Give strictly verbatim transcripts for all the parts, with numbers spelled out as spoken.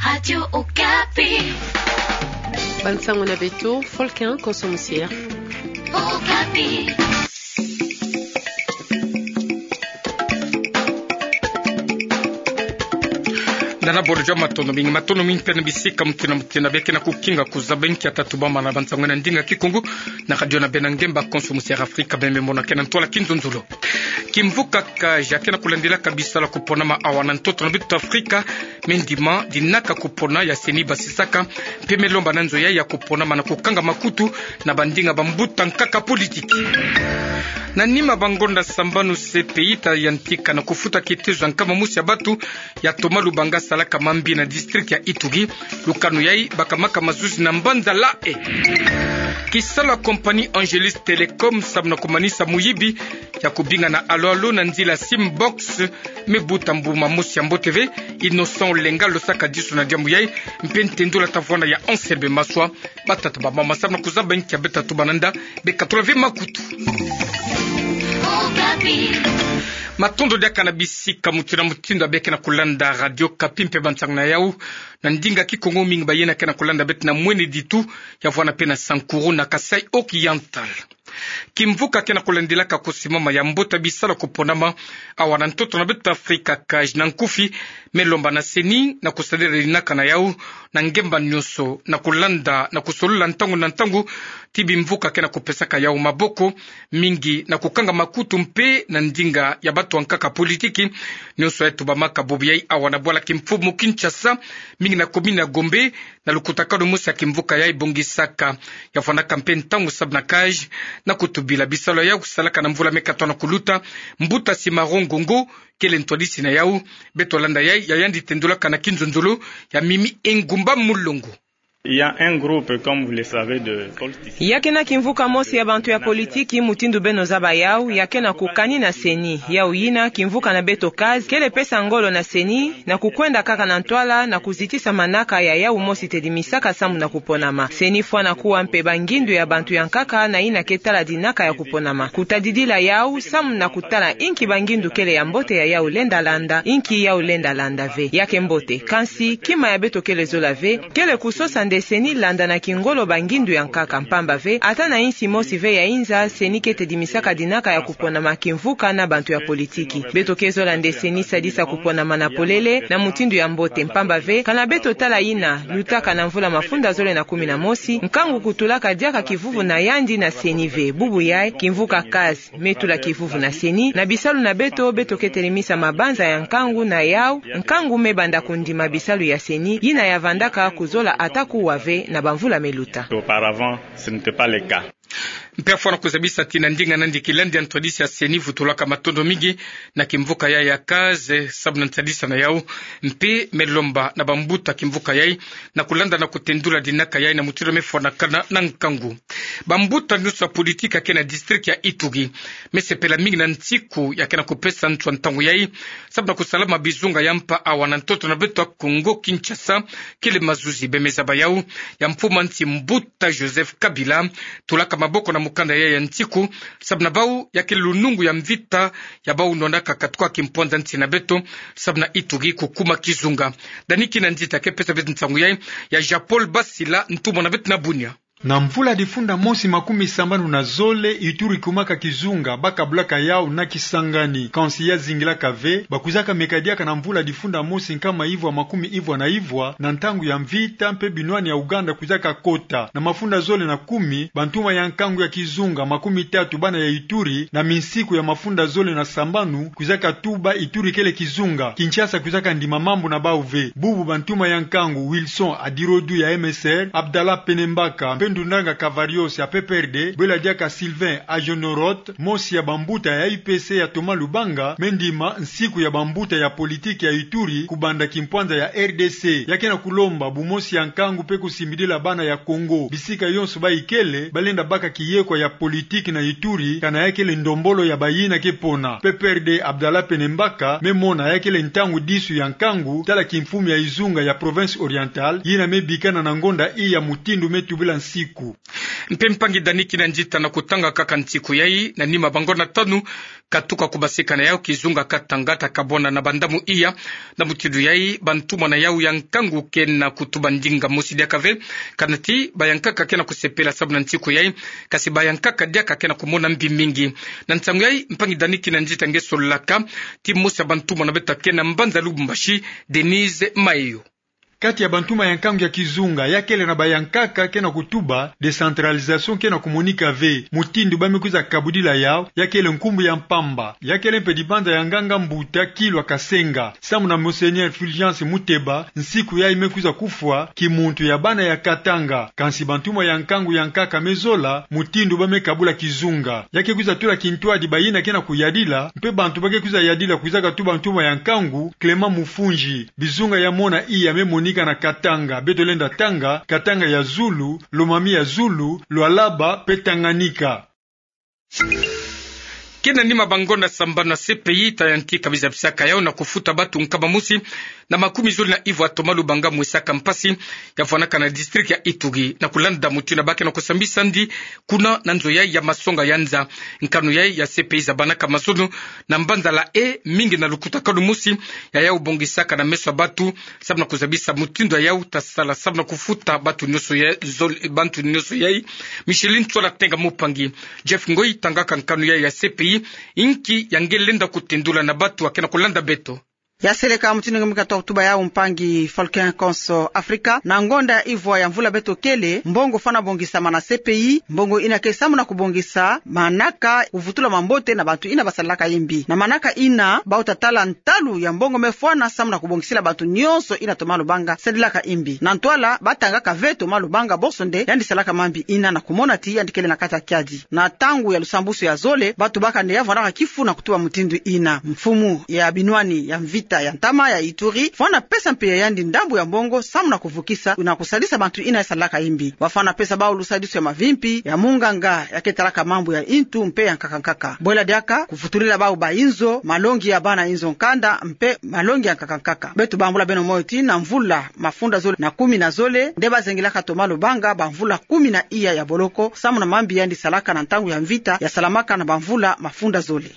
Radio Okapi. Bansango na beto, Folkin Konso Musier. Okapi. Nana bolo jama, matondo mingi, matondo mingi mpe na bisika mutindu na mutindu beke na kukinga kuzaba nkia tatubama na bansango na ndinga Kikongo na radio na beno, ngemba Konso Musier Afrika, bembe mona ke na ntwala kinzonzolo. Kimvuka CAGE ke na kulandilaka bisalu ya kuponama awa na ntoto na beto Afrika, me ndima dinaka kupona ya CENI basisaka, mpe me lomba na nzo yayi ya kuponama na kukanga makutu na bandinga bambuta nkaka politiki. Na nima bangonda sambanu, CPI ta yantika na kufuta kitezo ya nkama mosi ya bantu ya Thomas Lubanga asalaka mambi na district ya Ituri. Lukanu yayi bakamaka mazuzi na mbanza Lae. Kisalu ya compagnie Angelus Telecom samu na kumanisa muyibi ya kubinga na alo-alo na nzila Simbox, me buta mbuma mosi ya mbote ve. Innocent Olenga alosaka disu na diambu yayi, mpe ntendula tavwanda ya Anselme Maswa. Batata, bamama, samu na kuzaba nkia beto tatubama, nda bekatula ve makutu. Matondo diaka na bisika mutindu na mutindu beke na kulanda Radio Okapi mpe bansango na yawu na ndinga Kikongo. Mingi bayina ke na kulanda beto na Mweneditu, ya vwanda mpe na Sankuru na Kasaï Oriental. Kimvuka ke na kulandilaka kusimama ya mbote ya bisalu ya kuponama awa na ntoto na beto Afrika, CAGE na nkufi, me lomba na CENI na kusadila dinaka na yawu na ngemba nyonso, na kulanda na kusolola ntangu na ntangu ti bimvuka ke na kupesaka yawu maboko, mingi na kukanga makutu mpe na ndinga ya bantu ya nkaka politiki. Nyonso yayi tubamaka bobo yayi awa na bwala kimfumu Kinshasa, mingi na commune ya Gombe, na lukutakanu mosi ya kimvuka yayi bongisaka. Ya vwandaka mpe ntangu samu na CAGE na kutubila bisalu yayi kusalaka na mvula me katono kuluta. Mbuta Simaro Ngongo kele ntwadisi na yawu. Beto landa yayi, ya yandi tendulaka na kinzonzolo ya Mimi Engumba Mulongo. Il y a un groupe, comme vous le savez, de politiciens. Ya ke na kimvuka mosi ya bantu ya politiki, mutindu beno zaba yawu, ya ke na kukani na CENI. Yawu yina, kimvuka na beto CAGE kele pesa ngolo na CENI na kukwenda kaka na ntwala na kuzitisa manaka ya yawu mosi tedimisaka samu na kuponama. CENI fwana kuwa mpe bangindu ya bantu ya nkaka na yina ke tala dinaka ya kuponama. Kutadidila yawu samu na kutala inki bangindu kele ya mbote ya yawu lenda landa, inki yawu lenda landa ve. Ya ke mbote. Kansi, kima ya beto kele zola ve, kele kusosa nde CENI landa na kingolo bangindu ya nkaka, mpamba ve, ata na insi mosi ve ya inza, CENI ke tedimisaka dinaka ya kuponama kimvuka na bantu ya politiki. Beto ke zola nde CENI sadisa kuponama na polele, na mutindu ya mbote, mpamba ve, kana beto tala yina lutaka na mvula mafunda zole na kumi na mosi, nkangu kutulaka diaka kivuvu na yandi na CENI ve. Bubu yayi, kimvuka CAGE me tula kivuvu na CENI na bisalu na beto. Beto ke telemisa mabanza ya nkangu na yawu, nkangu me banda kundima bisalu ya CENI, yina ya vandaka kuzola ata kuwa ve na bamvula me luta. Auparavant, ce n'était pas le cas. Mpe ya fwana kuzabisa ti na ndinga nandi, kilandi ya ntwadisi ya CENI vutulaka matondo mingi na kimvuka yayi ya CAGE samu na nsadisa na yawu, mpe me lomba na bambuta kimvuka yayi na kulanda na kutendula dinaka yayi na mutindu me fwanakana na nkangu. Bambuta nyonso ya politiki ya ke na district ya Ituri me sepela mingi na nsiku ya ke na kupesa nswa ntangu yayi samu na kusalama bizunga ya mpa awa na ntoto na beto ya Kongo Kinshasa. Kele mazuzi, beno me zaba yawu, ya mfumu ya nsi mbuta Joseph Kabila tulaka maboko na mukanda yayi ya nsiku, samu na bawu ya kele lunungu ya mvita ya bawu nwanaka katuka kimpwanza nsi na beto, samu na Ituri kukuma kizunga. Dani Kinanzita ke pesa beto nsangu yayi, ya Jean-Paul Basila, ntumwa na beto na Bunia. Na mvula difunda mosi makumi sambanu na zole, Ituri kumaka kizunga, ba kabulaka yawu na Kisangani. Kansi ya zingilaka ve, ba kwizaka meka diaka na mvula difunda mosi nkama ivwa makumi ivwa na ivwa, na ntangu ya mvita, mpe binwani ya Uganda kwizaka kota. Na mafunda zole na kumi, bantuma ya nkangu ya kizunga makumi tatu, bana ya Ituri, na minsiku ya mafunda zole na sambanu, kwizaka tuba Ituri kele kizunga. Kinshasa kwizaka ndima mambu na bawu ve. Bubu bantuma ya nkangu Wilson Adirodu ya M S R, Abdallah Penembaka, mpe Ndundanga Kavarios ya P P R D, bwela diaka Sylvain Ajonorot, mosi ya bambuta ya U P C ya Thomas Lubanga, me ndima nsiku ya bambuta ya politiki ya Ituri, kubanda kimpwanza ya R D C. Ya ke na kulomba bumosi ya nkangu mpe kusimbidila bana ya Kongo bisika yonso ba ikele, ba lenda baka kiyekwa ya politiki na Ituri, kana ya kele ndombolo ya bayina ke pona. P P R D Abdallah Penembaka me mona ya kele ntangu disu ya nkangu, tala kimfumu ya izunga ya Province Orientale, yina me bikana na ngonda iya mutindu me tubila nsiku. Mpe mpangi Dani Kinanzita, na kutanga kaka nsiku yai, na nima ba ngonda tanu, katuka kubasikana yau kizunga Katanga, ta kabwana na bandamu iya. Na mutindu yai, bantumwa na yau ya nkangu ke na kutuba ndinga mosi diaka ve, kanati bayankaka ke na kusepela sababu na nsiku yai, kasi bayankaka diaka ke na kumona mbi mingi. Na nsangu yai, mpangi Dani Kinanzita nge solaka, ti mosi ya bantumwa na beto ke na mbanza Lubumbashi, Denise Mayo. Kati ya bantumwa ya nkangu ya kizunga, ya kele na bayankaka ke na kutuba décentralisation ke na kumonika ve, mutindu ba me kwiza kabudila yau, ya kele nkumbu ya mpamba, ya kele mpe dibanza ya nganga mbuta Kilwa Kasenga, samu na Monseigneur Fulgence Muteba, nsiku yai me kwiza kufwa kimuntu ya bana ya Katanga. Kansi bantumwa ya nkangu ya nkaka me zola mutindu ba me kabula kizunga. Ya ke kwiza tula kintwadi bayina ke na kuyadila, mpe bantu ba ke kwiza yadila kwizaka tu bantumwa ya nkangu, Clément Mufunzi. Bizunga ya mona iya me monika na Katanga, beto lenda tanga, Katanga ya zulu, Lomami ya zulu, Lualaba, mpe Tanganyika. Ke na nima ba ngonda sambanu, C P I ta yantika bizabisaka yau na kufuta batu nkama mosi na makumi zole na ivwa toma lubanga mwesaka mpasi, ya vwanaka na district ya Ituri, na kulanda mutindu ba ke na kusambisa ndi kuna na nzo yai ya masonga ya nza. Nkanu yai ya C P I zabanaka mazono na mbanza La Haye, mingi na lukutakanu mosi ya yau bongisaka na meso ya batu, samu na kuzabisa mutindu ya yau ta sala samu na kufuta batu nionso ya zole, batu nionso yai. Micheline Tswala Tenga Mupangi. Jeff Ngoi tangaka nkanu yai ya C P I, inki ya nge lenda kutendula na batu ya ke na kulanda beto. Ya seleka mutindu nge me katuka kutuba yau, mpangi Falcon Konso Afrika, na ngonda ya ivwa ya mvula beto kele, mbongo fwana bongisama na C P I, mbongo ina ke samu na kubongisa manaka, kuvutula mambote na bantu ina basalaka imbi. Na manaka ina, bau ta tala ntalu ya mbongo me fwana samu na kubongisila bantu nionso ina toma lubanga sadilaka imbi. Na ntwala, ba tangaka ve toma lubanga bonso nde yandi salaka mambi ina na kumona ti yandi kele na kati ya kiadi. Na ntangu ya lusambusu ya zole, ba tubaka nde ya vwanaka kifu na kutuba mutindu ina. Mfumu ya binwani ya mvita ya ntama ya Ituri fwana pesa mpe ya yandi ndambu ya mbongo samu na kuvukisa na kusadisa bantu ina ya salaka imbi. Ba fwana pesa bau lusadisu ya mavimpi, ya munganga ya ke talaka mambu ya intu mpe ya nkaka nkaka. Bwela diaka, kuvutulila bau ba inzo, malongi ya bana inzo nkanda, mpe malongi ya nkaka nkaka. Beto bambula beno moyo ti na mvula mafunda zole na kumi na zole, nde ba zengilaka toma lubanga ba mvula kumi na iya ya boloko, samu na mambi yandi salaka na ntangu ya mvita ya salamaka na ba mvula mafunda zole.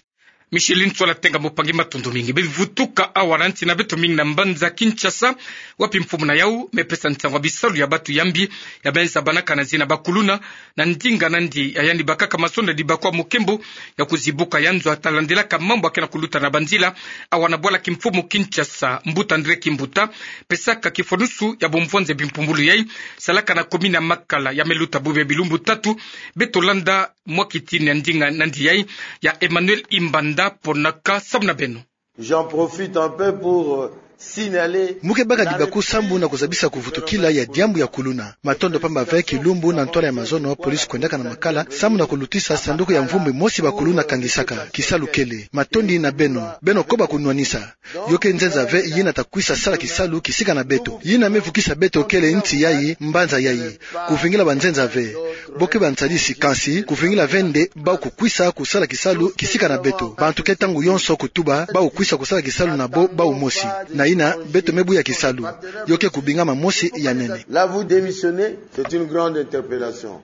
Micheline Tswala Tenga Mupangi, matondo mingi. Be vutuka awa na nsi na beto, mingi na mbanza Kinshasa, wapi mfumu na yau me pesa nsangu ya bisalu ya batu ya mbi ya me zabanaka na zina ba kuluna, na ndinga na ndi ya yandi bakaka masonda di bakwa mukembo ya kuzibuka ya nzo ya ta landilaka mambu ya ke na kuluta na banzila. Awa na bwala kimfumu Kinshasa, mbuta André Kimbuta pesaka kifwanusu ya bumvwanze bimpumbulu yai salaka na commune ya Makala, ya me luta bubu ya bilumbu tatu. Beto landa mwa kitini ya ndinga na ndi yai ya Emmanuel Imbanda Ponaka, samu na beno. J'en profite un peu pour, euh, signaler. Mu ke baka dibaku sambu na kuzabisa kuvutukila ya diambu ya kuluna. Matondo pamba ve, kilumbu na ntwala ya mazono, police kwendaka na Makala samu na kulutisa sanduku ya mvumbi mosi ba kuluna kangisaka. Kisalu kele. Matondi na beno. Beno koba kunwanisa. Yo ke nzenza ve yina ta kwisa sala kisalu kisika na beto. Yina me vukisa beto kele nsi yai, mbanza yai. Kuvingila banzenza ve. Bo ke bansadisi, kansi kuvingila ve nde bau kukwisa kusala kisalu kisika na beto. Bantu ke ntangu yonso kutuba bau kukwisa kusala kisalu na bo bau mosi. Na yina, beto me buya kisalu. Yo ke kubingama mosi ya nene. Là, vous démissionnez, c'est une grande interpellation.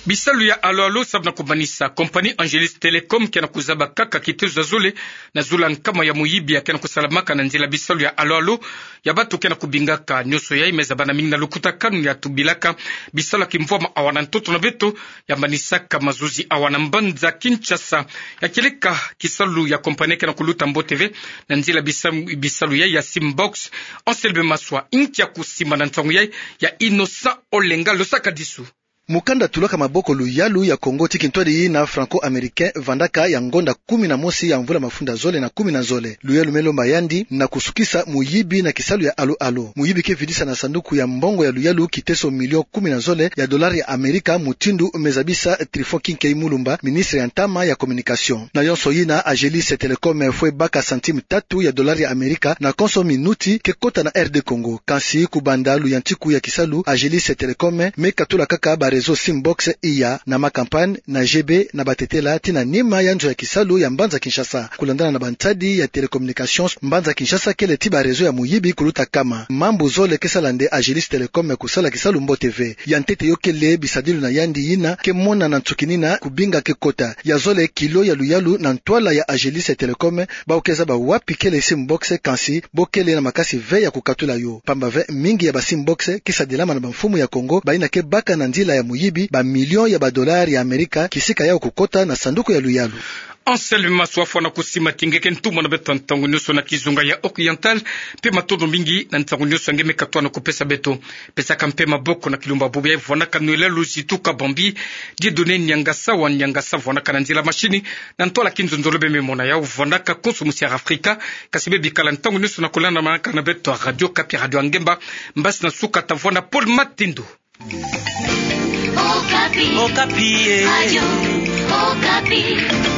Bisalu ya alo-alo samu na kumanisa. Compagnie Angelis Telecom ke na kuzaba kaka kitezo ya zole na zula nkama ya muyibi ya ke na kusalamaka na nzila bisalu ya alo-alo ya batu ke na kubingaka. Nionso yai me zabana mingi na lukutakanu ya tubilaka bisalu ya kimvwama awa na ntoto na beto, ya manisaka mazuzi awa na mbanza Kinshasa. Ya kieleka kisalu ya compagnie ke na kuluta mbote ve na nzila bisa-, bisalu yai ya Simbox. Anselme Maswa, inki ya kusimba na nsangu yai ya Innocent Olenga, losaka disu. Mukanda tulaka maboko luyalu ya Kongo ti kintwadi na Franco-Américain vandaka ya ngonda kumi na mosi ya mvula mafunda zole na kumi na zole. Luyalu me lomba yandi na kusukisa muyibi na kisalu ya alo-alo. Muyibi ke vidisa na sanduku ya mbongo ya luyalu kiteso million kumi na zole ya dollar ya Amerika, mutindu me zabisa Trifon Kinkei Mulumba, ministre ya ntama ya communication. Na yonso yina, Agelis Telecom fwe baka centime tatu ya dollar ya Amerika na konso minuti ke kota na R D Congo. Kansi kubanda luyantiku ya kisalu, Agelis Telecom me katula kaka ba réseau Simbox iya na ma campagne na G B na Batetela tii na nima ya nzo ya kisalu ya mbanza Kinshasa. Kulandana na bantadi ya télécommunications, mbanza Kinshasa kele ti ba réseau ya muyibi kuluta kama. Mambu zole ke sala nde Agelis Telecom kusala kisalu mbote ve. Ya ntete yo kele bisadilu na yandi yina ke mona na nsuki nina kubinga ke kota. Ya zole kilo ya luyalu na ntwala ya Agelis Telecom, bawu ke zaba wapi kele Simbox, kansi bo kele na makasi ve ya kukatula yo. Pamba ve mingi ya ba Simbox ke sadilama na bamfumu ya Kongo, bayina ke baka na nzila ya muyibi ba millions ya ba dollars ya Amerika, kisika yawu kukota na sanduku ya luyalu. Anselme Maswa, fwana kusimatisa nge ke ntumwa na beto ya ntangu nionso na kizunga ya Oriental, mpe matondo mingi na ntangu nionso nge me katuka na kupesa beto. Pesaka mpe maboko na Kilumba Bubu ya vwanaka nwela luzitu Kabambi, Dieudonné Niangasa wa Niangasa vwanaka na nzila machine, na ntwala kinzonzolo beno me mona yawu vwanaka konso musi ya Afrika, kansi beno bikala ntangu nionso na kulandamanaka na beto ya Radio Okapi, radio ya ngemba, mbasi na suka tavwanda Paul Matindo. Okapi. Okapi, eh. Radio Okapi.